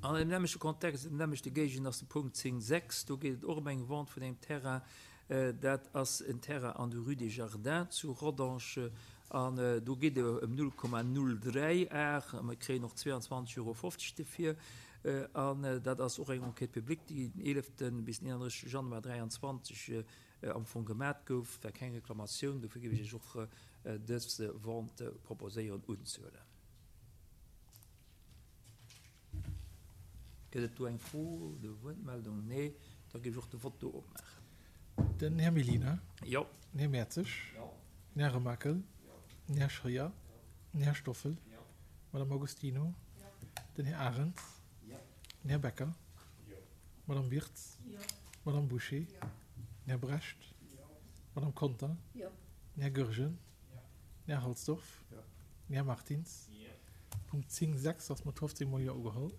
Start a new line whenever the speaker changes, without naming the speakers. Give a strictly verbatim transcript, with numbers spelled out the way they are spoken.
An deem nämmlechte Kontext, an deem nämmlechte Géigend ass de Punkt zéng sechs. Do geet et och ëm eng Vente vun engem Terrain. Dat ass en Terrain an der Rue des Jardins zu Rodange. An do geet et ëm null Komma null dräi Ar. Mir kréien och zweiundzwanzeg Euro fofzeg dofir. An dat ass och eng Enquête publique, déi den eeleften bis den eenanddrëssegste Januar dräianzwanzeg am Fong gemat gouf. War keng Reklamatioun. Dofir géif ech Iech och dës Vente proposéieren unzehuelen. Gëtt et do eng Fro oder Wuertmeldung? Nee. Da géif ech och de Vott do opmaachen.
Den Här Mellina.
Jo.
Den Här Mertzig.
Jo.
Den Här Remakel.
Jo.
Den Här Scheuer.
Jo.
Den Här Stoffel.
Jo.
D'Madame Agostino.
Jo.
Den Här Arendt.
Jo.
Den Här Becker.
Jo.
D'Madame Wirtz.
Jo.
D'Madame Bouché.
Jo.
Den Här Brecht.
Jo.
D'Madame Conter.
Jo.
Den Här Goergen.
Jo.
Den Här Halsdorf.
Jo.
Den Här Martins.
Jo.
Punkt zéng sechs ass mat fofzéng Mol Jo ugeholl.